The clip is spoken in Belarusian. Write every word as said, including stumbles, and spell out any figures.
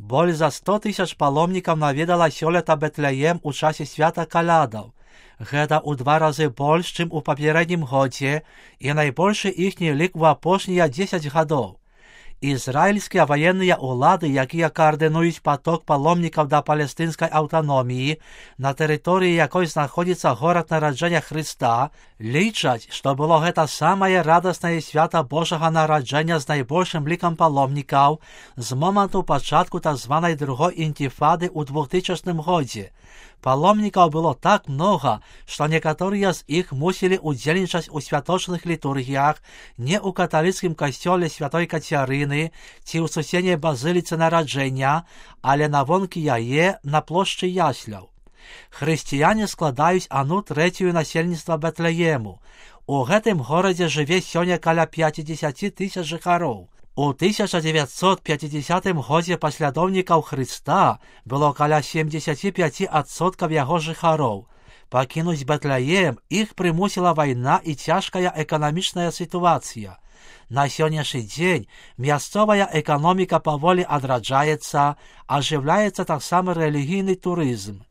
Боль за сто тысяч паломнікаў наведала сёлета Бэтлеем у часе свята калядаў. Гэта ў два разы больш, чым у папярэднім годзе, і найбольшы іхні лік у апошнія дзесяць гадоў. Ізраільскія ваенныя ўлады, якія каардынуюць паток паломнікаў да палестынскай аўтаноміі, на тэрыторыі якой знаходзіцца горад нараджэння Хрыста, лічаць, што было гэта самае радаснае свята Божага нараджэння з найбольшым лікам паломнікаў з моманту пачатку так званай другой інтыфады ў двухтысячным годзе. Паломнікаў было так многа, што некаторыя з іх мусілі удзельнічаць у святочных літургіях не ў каталіцкім касцёле святой Кацярыны ці ў суседняй базыліцы нараджэння, але навонкі яе на плошчы ясляў. Хрысціяне складаюць адну трэцюю насельніцтва Бэтлеему. У гэтым горадзе жыве сёння каля пяцьдзесят тысяч жыхароў. У тысяча дзевяцьсот пяцідзесятым годзе паслядоўнікаў Хрыста было каля семьдесят пять адсоткаў яго жыхароў. Пакінуць Бэтлеем іх прымусіла вайна і цяжкая эканамічная сітуацыя. На сённяшні дзень мясцовая эканоміка паволі адраджаецца, ажыўляецца таксама рэлігійны турызм.